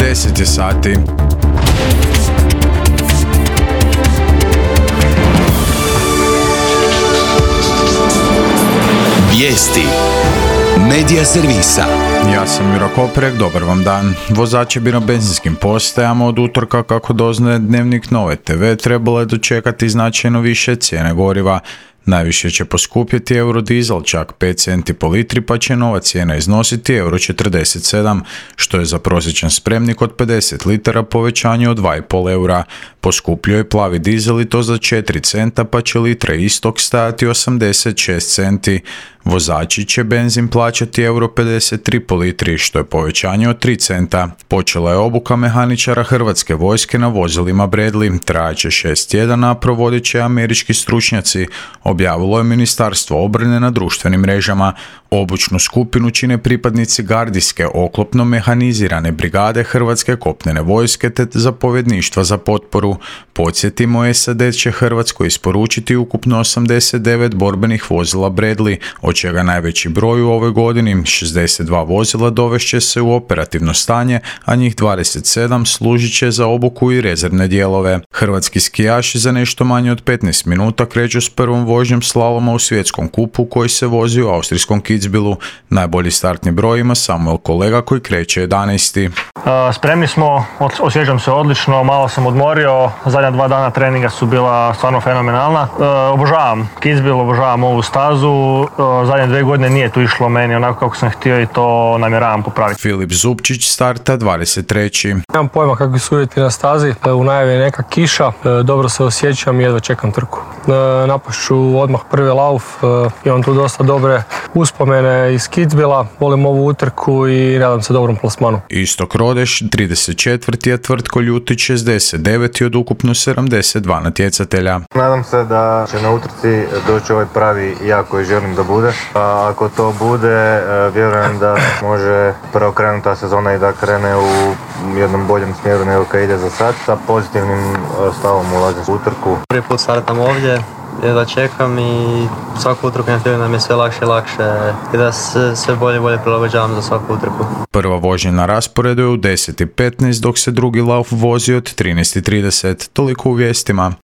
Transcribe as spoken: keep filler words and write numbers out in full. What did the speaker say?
deset je sati. Vijesti Medija servisa. Ja sam Juro Koprek, dobar vam dan. Vozači bi na benzinskim postajama od utorka, kako doznaje Dnevnik Nove te ve, trebalo je dočekati značajno više cijene goriva. Najviše će poskupjeti eurodizel, čak pet centi po litri, pa će nova cijena iznositi euro četrdeset sedam, što je za prosječan spremnik od pedeset litara povećanje od dva i pol eura. Poskupljuje je plavi dizel i to za četiri centa, pa će litra istog stajati osamdeset šest centi. Vozači će benzin plaćati euro pedeset tri po litri, što je povećanje od tri centa. Počela je obuka mehaničara Hrvatske vojske na vozilima Bradley, trajaće šest tjedana, a provodit će američki stručnjaci, objavilo je Ministarstvo obrane na društvenim mrežama. Obučnu skupinu čine pripadnici gardijske oklopno mehanizirane brigade Hrvatske kopnene vojske te zapovjedništva za potporu. Podsjetimo, es a de će Hrvatskoj isporučiti ukupno osamdeset devet borbenih vozila Bradley, od čega najveći broj u ovoj godini, šezdeset dva vozila, dovešće se u operativno stanje, a njih dvadeset sedam služit će za obuku i rezervne dijelove. Hrvatski skijaši za nešto manje od petnaest minuta kreću s prvom vožnjom slaloma u svjetskom kupu koji se vozi u austrijskom Kitzbühelu. Najbolji startni broj ima Samuel Kolega koji kreće jedanaesti. Spremni smo, osjećam se odlično, malo sam odmorio, zadnja dva dana treninga su bila stvarno fenomenalna. Obožavam Kitzbühel, obožavam ovu stazu, zadnje dvije godine nije tu išlo meni onako kako sam htio i to namjeravam popraviti. Filip Zupčić starta dvadeset treći. Nemam pojma kakvi su uvjeti na stazi, u najavi je neka kiša, dobro se osjećam i jedva čekam trku. Napašću odmah prvi lauf, imam tu dosta dobre uspomene iz Kitzbühela, volim ovu utrku i nadam se dobrom plasmanu. Istok Rodeš, trideset četvrti je Tvrtko Ljutić, šezdeset deveti od ukupno sedamdeset dva natjecatelja. Nadam se da će na utrci doći ovaj pravi ja koji želim da bude. A ako to bude, vjerujem da može preokrenuta sezona i da krene u jednom boljem smjeru nego kad ide za sad. Sa pozitivnim stavom ulazim u utrku. Prvi put startam ovdje, jedva čekam i svaku utrku na filmu nam je sve lakše i lakše i da se sve bolje i bolje prilagođavam za svaku utrku. Prva vožnja na rasporedu je u deset i petnaest, dok se drugi lauf vozi od trinaest i trideset. Toliko u vijestima.